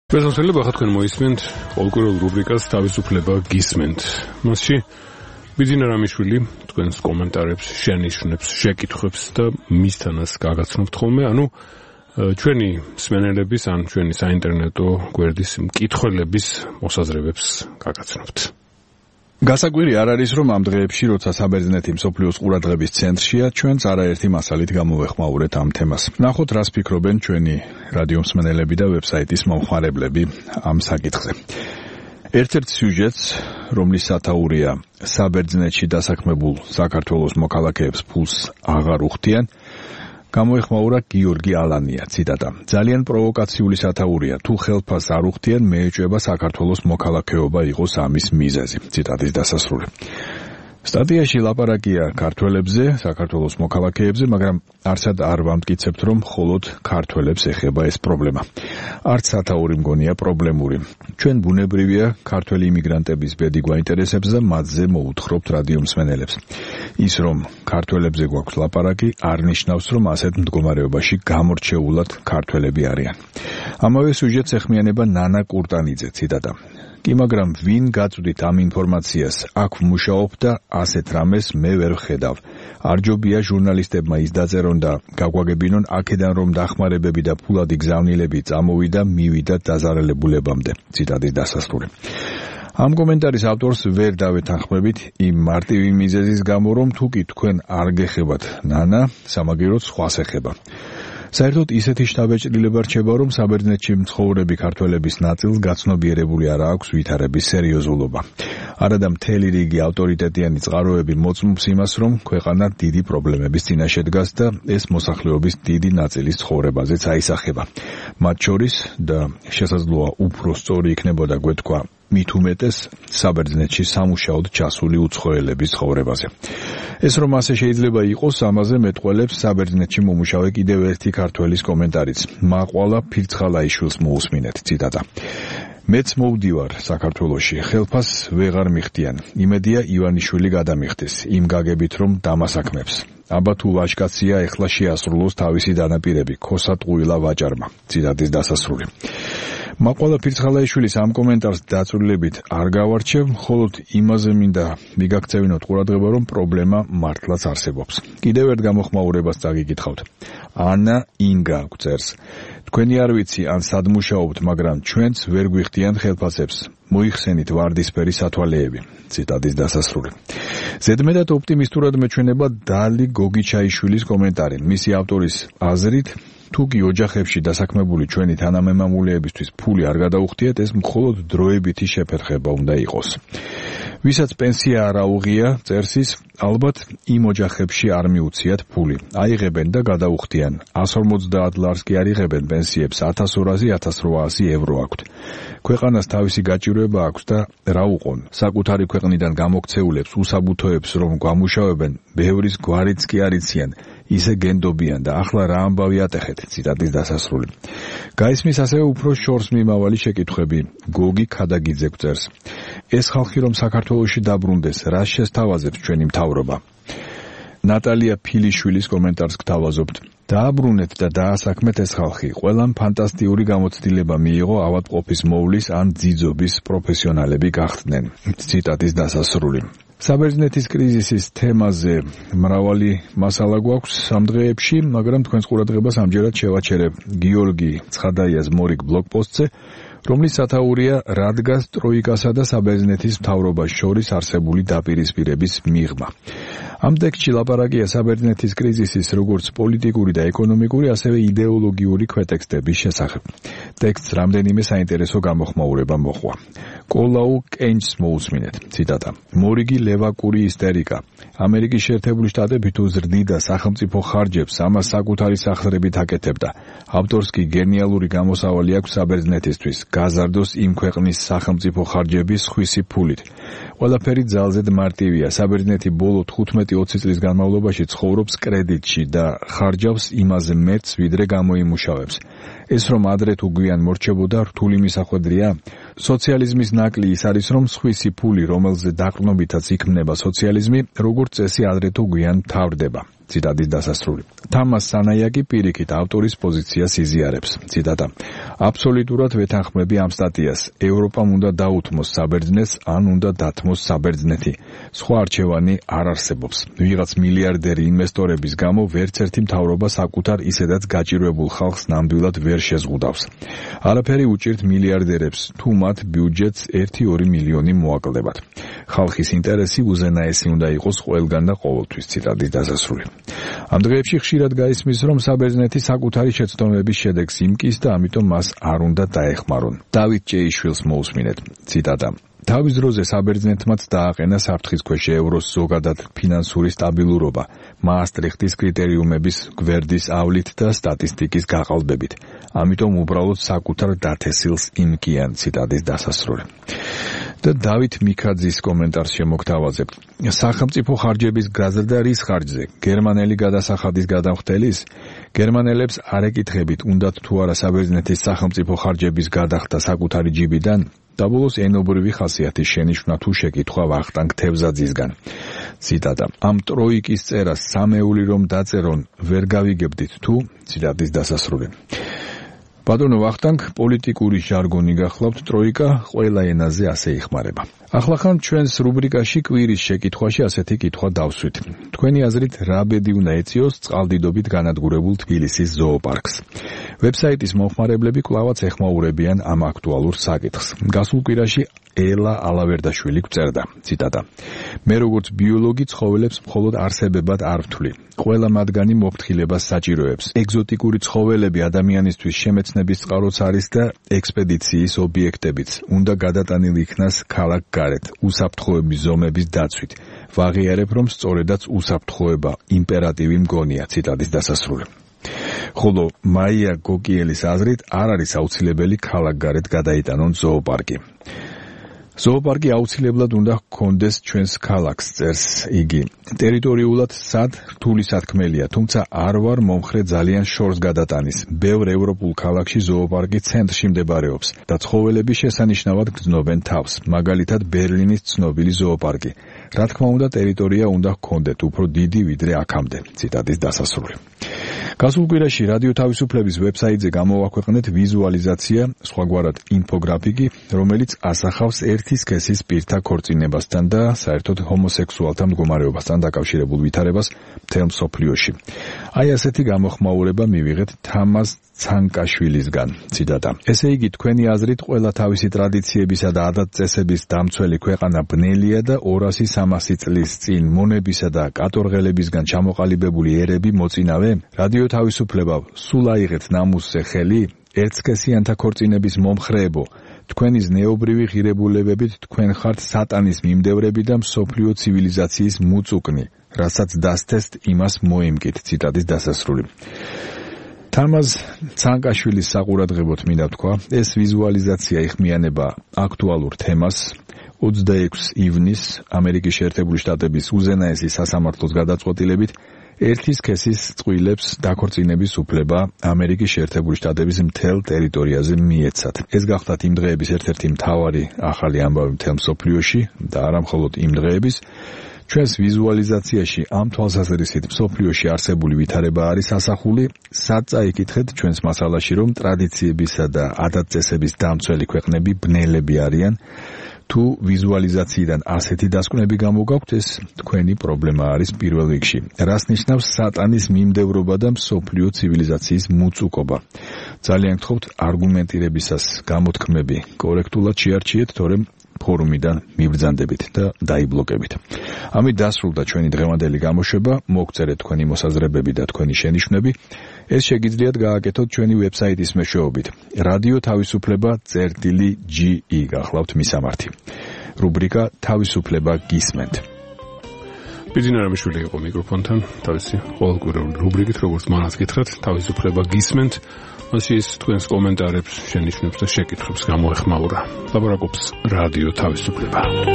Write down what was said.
Bezosele baxat თქვენ მოისმენთ ყოველკვირეულ რუბრიკას თავისუფლება გისმენთ. მასში ბიძინა რამიშვილი თქვენს კომენტარებს, შენიშვნებს, შეკითხვებს და მისთანას გაგაცნობთ ხოლმე, ანუ ჩვენი მსმენელების ან ჩვენი საინტერნეტო გვერდის მკითხველების მოსაზრებებს გაგაცნობთ. გასაკვირი არ არის, რომ ამ დღეებში, როცა საბერძნეთი მსოფლიოს ყურადღების ცენტრშია, ჩვენც არაერთი მასალით გამოვეხმაურეთ ამ თემას. ნახოთ, რას ფიქრობენ ჩვენი რადიო მსმენელები და ვებსაიტის მომხმარებლები ამ საკითხზე. ერთ-ერთ სიუჟეტს, რომლის სათაურია საბერძნეთში დასაქმებულ საქართველოს მოქალაქეებს ფულს აღარ უხდიან, გამოეხმაურა გიორგი ალანია, ციტატა. ძალიან პროვოკაციული სათაურია, თუ ხელფას არ უხდიან, მეეჭვება საქართველოს მოქალაქეობა იყოს ამის მიზეზი, ციტატის დასასრული. სტატიაში ლაპარაკია ქართველებზე, საქართველოს მოქალაქეებზე, მაგრამ არცად არ ვამტკიცებთ, რომ მხოლოდ ქართველებს ეხება ეს პრობლემა. არც სათაური მგონია პრობლემური. ჩვენ ბუნებრივია ქართველი იმიგრანტების ბედი გვაინტერესებს და მათზე მოუთხრობთ რადიო მსმენელებს. ის რომ ქართველებზე გვაქვს ლაპარაკი, არ ნიშნავს, რომ ასეთ მდგომარეობაში გამორჩეულად ქართველები არიან. ამავე სიუჟეტს ეხმიანება ნანა კურტანიძე, ციტატა. კი, მაგრამ ვინ გაწვდით ამ ინფორმაციას, აქ ვმუშაობ და ასეთ რამეს მე ვერ ვხედავ. არ ჯობია ჟურნალისტებმა ის დაწერონ და გაგვაგებინონ აქედან რომ დახმარებები და ფულადი გზავნილები წამოვიდა, მივიდა დაზარალებულებამდე, ციტატის დასასრული. ამ კომენტარის ავტორს ვერ დავეთანხმებით იმ მარტივი მიზეზის გამო, რომ თუ კი თქვენ არ გეხებათ ნანა, სამაგიეროდ სხვას ეხება. საერთოდ ისეთი შთაბეჭდილება რჩება, რომ საბერძნეთში მცხოვრები ქართველების ნაწილს გაცნობიერებული არ აქვს ვითარების სერიოზულობა. არადა მთელი რიგი ავტორიტეტიანი წყაროები მოწმობს იმას, რომ ქვეყანა დიდი პრობლემების წინაშე დგას და ეს მოსახლეობის დიდი ნაწილის ცხოვრებაზეც აისახება. მათ შორის და შესაძლოა უფრო სწორი იქნებოდა გვეთქვა მით უმეტეს საბერძნეთში სამუშაოდ ჩასული უცხოელების ცხოვრებაზე. ეს რომ ასე შეიძლება იყოს, ამაზე მეტყველებს საბერძნეთში მომუშავე კიდევ ერთი ქართველის კომენტარიც. მაყვალა ფირცხალაიშვილს მოусმინეთ, ციტატა. მეც მოვდივარ საქართველოში, ხელფას ვეღარ მიხდიან. იმედია ივანიშვილი გადამიხდეს, იმ გაგებით რომ დამასაქმებს. აბა თუ ვაჟკაცია, ეხლა შეასრულოს თავისი დანაპირები, ქოსა ტყუილა ვაჭარმა, ციტატის დასასრული. მაყვალა ფირცხალაიშვილის ამ კომენტარს დაწვრილებით არ გავარჩევ, მხოლოდ იმაზე მინდა მიგაქცევინოთ ყურადღება, რომ პრობლემა მართლაც არსებობს. კიდევ ერთ გამოხმაურებას წაგიკითხავთ. ანა ინგა გვწერს. თქვენი არ ვიცი ან სად მუშაობთ, მაგრამ ჩვენც ვერ გვიხდიან ხელფასებს. მოიხსენით ვარდისფერი სათვალეები, ციტატის დასასრული. ზედმეტად ოპტიმისტურად მეჩვენება დალი გოგიჩაიშვილის კომენტარი. მისი ავტორის აზრით, თუ კი ოჯახებში დასაქმებული ჩვენი თანამემამულეებისთვის ფული არ გადაუხდიათ, ეს მხოლოდ დროებითი შეფერხება უნდა იყოს. ვისაც პენსია არ აუღია, წერს ის, ალბათ იმ ოჯახებში არ მიუციათ ფული. აიღებენ და გადაუხდიან. 150 ლარს კი არ იღებენ პენსიებს, 1200-1800 евро აქვთ. ქვეყანას თავისი გაჭირვება აქვს და რა უყონ. საკუთარი ქვეყნიდან გამოქცეულებს უსაბუთოებს რომ გვამუშავებენ, ბევრის გვარიც კი არ იციან. ისე გენდობიან და ახლა რა ამბავი ატეხეთ, ციტატის დასასრული. გაისმის ასევე უფრო შორს მიმავალი შეკითხვები. გოგი ქადაგიძე გვწერს. ეს ხალხი რომ საქართველოში დაბრუნდეს, რას შესთავაზებს ჩვენი მთავრობა? ნატალია ფილიშვილის კომენტარს გთავაზობთ. დააბრუნეთ და დაასაქმეთ ეს ხალხი. ყველამ ფანტასტიკური გამოცდილება მიიღო ავადმყოფის მოვლის ან ძიძობის პროფესიონალები გახდნენ, ციტატის დასასრული. საბერძნეთის კრიზისის თემაზე მრავალი მასალა გვაქვს ამ დღეებში, მაგრამ თქვენს ყურადღებას ამჯერად შევაჩერებ გიორგი ცხადაიას მორიგ ბლოგპოსტზე, რომლის სათაურია რადგას ტროიკასა და საბერძნეთის მთავრობას შორის არსებული დაპირისპირების მიღმა. ამ ტექსტში ლაპარაკია საბერძნეთის კრიზისის როგორც პოლიტიკური და ეკონომიკური, ასევე იდეოლოგიური ქვეტექსტების შესახებ. ტექსტს რამდენიმე საინტერესო გამოხმაურება მოჰყვა. კოლაუ კენჯს მოусმინეთ, ციტატა. მორიგი ლევაკური ისტერიკა. ამერიკის შეერთებული შტატები თუ ზრდიდა სახელმწიფო ხარჯებს, ამას საკუთარი სახსრებით აკეთებდა. ავტორს კი გენიალური გამოსავალი აქვს საბერძნეთისთვის. გაზარდოს იმ ქვეყნის სახელმწიფო ხარჯების ხვისი ფულით. ყველაფერი ძალზედ მარტივია. საბერძნეთი ბოლო 15-20 წლის განმავლობაში ცხოვრობს კრედიტში და ხარჯავს იმაზე მეტს, ვიდრე გამოიმუშავებს. ეს რომ ადრე თუ გვიან მორჩებოდა, რთული მისახვედრია. სოციალიზმის ნაკლი ის არის, რომ სხვისი ფული, რომელზე დაყრდნობითაც იქმნება სოციალიზმი, როგორც წესი ადრე თუ გვიან თავრდება. ციტატის დასასრული. თამას სანაიაკი პირიქით ავტორის პოზიციას იზიარებს. ციტატა. აბსოლუტურად ვეთანხმები ამ სტატიას. ევროპამ უნდა დაუთმოს საბერძნეთს, ან უნდა დათმოს საბერძნეთი. სხვა არჩევანი არ არსებობს. ვიღაც მილიარდერი ინვესტორების გამო ვერც ერთი მთავრობა საკუთარ ისედაც გაჭირვებულ ხალხს ნამდვილად ვერ შეზღუდავს. არაფერი უჭირთ მილიარდერებს, თუ მათ ბიუჯეტს 1-2 მილიონი მოაკლებათ. ხალხის ინტერესი უზენაესი უნდა იყოს ყველგან და ყოველთვის. ციტატის დასასრული. ამ დღეებში ხშირად გაისმის, რომ საბერძნეთი საკუთარი შეცდომების შედეგს იმკის და ამიტომ მას არ უნდა დაეხმარონ. დავით ჭეიშვილს მოусმინეთ. ციტატა. თავის დროზე საბერძნეთმაც დააყენა საფრთხისქვეშ ევროს ზოგადად ფინანსური სტაბილურობა, მაასტრიხტის კრიტერიუმების გვერდის ავლით და სტატისტიკის გაყალბებით. ამიტომ უბრალოდ საკუთარ დათესილს იმკიან. ციტატის დასასრული. და დავით მიქაძის კომენტარს შემოგთავაზებთ. სახელმწიფო ხარჯების გაზრდა რის ხარჯზე? გერმანელი გადასახადის გადამხდელის? გერმანელებს არ ეკითხებით, უნდათ თუ არა საბერძნეთის სახელმწიფო ხარჯების გადახდა საკუთარი ჯიბიდან? დაბოლოს ენობრივი ხასიათის შენიშვნა თუ შეკითხვა ვახტანგ თევზაძისგან. ციტატა. ამ ტროიკის წერას სამეული რომ დაწერონ, ვერ გავიგებდით თუ? ციტატის დასასრული. ბატონო ვახტანგ, პოლიტიკური ჟარგონი გახლავთ, ტროიკა ყველა ენაზე ასე იხმარება. ახლა ჩვენს რუბრიკაში კვირის შეკითხვაში ასეთი კითხვა დავსვით. თქვენი აზრით რა ბედი უნდა ეწიოს წყალდიდობით განადგურებულ თბილისის ზოოპარკს? ვებსაიტის მომხმარებლები კვლავაც ეხმაურებიან ამ აქტუალურ საკითხს. გასულ კვირაში ელა ალავერდაშვილი გვწერდა. ციტატა. მე როგორც ბიოლოგი ცხოველებს მხოლოდ არსებებად არ ვთვლი. ყველა მათგანი მოფრთხილებას საჭიროებს. ეგზოტიკური ცხოველები ადამიანისთვის შემეცნების წყაროც არის და ექსპედიციის ობიექტებიც. უნდა გადატანილი იქნას ქალაქ გარეთ, უსაფრთხოების ზომების დაცვით. ვაღიარებ, რომ სწორედაც უსაფრთხოება იმპერატივი მგონია. ციტატის დასასრული. ხოლო მაია გოკიელის აზრით არ არის აუცილებელი ქალაქ გარეთ გადაიტანონ ზოოპარკი. ზოოპარკი აუცილებლად უნდა ჰქონდეს ჩვენს ქალაქს, წერს იგი. ტერიტორიულად სად რთული სათქმელია, თუმცა არ ვარ მომხრე ძალიან შორს გადატანის. ბევრ ევროპულ ქალაქში ზოოპარკი ცენტრში მდებარეობს და ცხოველები შესანიშნავად გრძნობენ თავს, მაგალითად ბერლინის ცნობილი ზოოპარკი. რა თქმა უნდა, ტერიტორია უნდა ჰქონდეთ უფრო დიდი ვიდრე აქამდე. ციტატის დასასრული. გასულ კვირაში რადიო თავისუფლების ვებსაიტზე გამოვაქვეყნეთ ვიზუალიზაცია, სხვაგვარად ინფოგრაფიკი, რომელიც ასახავს ერთი სქესის პირთა ქორწინებასთან და საერთოდ ჰომოსექსუალთა მდგომარეობასთან დაკავშირებულ ვითარებას მთელ მსოფლიოში. აი ასეთი გამოხმაურება მივიღეთ თამაზ ცანკაშვილისგან. ციტატა. ესე იგი, თქვენი აზრით ყველა თავისი ტრადიციებისა და ადათ-წესების დამცველი ქვეყანა ბნელია და 200-300 წლის წინ მონებისა და კატორღელებისგან ჩამოყალიბებული ერები მოწინავე? რადიო თავისუფლება სულ აიღეთ ნამუსზე ხელი? ერთსქესიანთა ქორწინების მომხრეებო, თქვენი ზნეობრივი ღირებულებებით თქვენ ხართ სატანის მიმდევრები და მსოფლიო ცივილიზაციის მუწუკნი, რასაც დასთესთ იმას მოიმკით. ციტატის დასასრული. თამაზ ცანკაშვილის საყურადღებოდ მინდა თქვა, ეს ვიზუალიზაცია იხმიანება აქტუალურ თემას. 26 ივნისს ამერიკის შეერთებული შტატების უზენაესი სასამართლოს გადაწყვეტილებით ერთი სქესის წყვილებს დაქორწინების უფლება ამერიკის შეერთებული შტატების მთელ ტერიტორიაზე მიეცათ. ეს გახლავთ იმ დღეების ერთ-ერთი მთავარი ახალი ამბავი მთელ მსოფლიოში და არა მხოლოდ იმ დღეების. ჩვენს ვიზუალიზაციაში ამ თვალსაზრისით მსოფლიოში არსებული ვითარება არის ასახული. სად წაიკითხეთ ჩვენს მასალაში, რომ ტრადიციებისა და ადათ-წესების დამცველი ქვეყნები ბნელები არიან? თუ ვიზუალიზაციიდან ასეთი დასკვნები გამოგაქვთ, ეს თქვენი პრობლემა არის პირველ რიგში. რას ნიშნავს სატანის მიმდევრობა და მსოფლიო ცივილიზაციის მუწუკობა? ძალიან გთხოვთ არგუმენტირებისას გამოთქმები კორექტულად შეარჩიეთ, თორემ ფორუმიდან მიბრძანდებით და დაიბლოკებით. ამით დასრულდა ჩვენი დღევანდელი გამოშვება. მოგწერეთ თქვენი მოსაზრებები და თქვენი შენიშვნები. ეს შეგიძლიათ გააკეთოთ ჩვენი ვებსაიტის მეშვეობით. რადიო თავისუფლება წერტილი.ge გახლავთ მისამართი. რუბრიკა თავისუფლება გისმენთ. ბიძინა რამიშვილი იყო მიკროფონთან, თავისი ყოველკვირეული რუბრიკით, როგორც მანაც გითხრათ, თავისუფლება გისმენთ. მასში ის თქვენს კომენტარებს, შენიშვნებს და შეკითხვებს გამოეხმაურა. ლაპარაკობს რადიო თავისუფლება.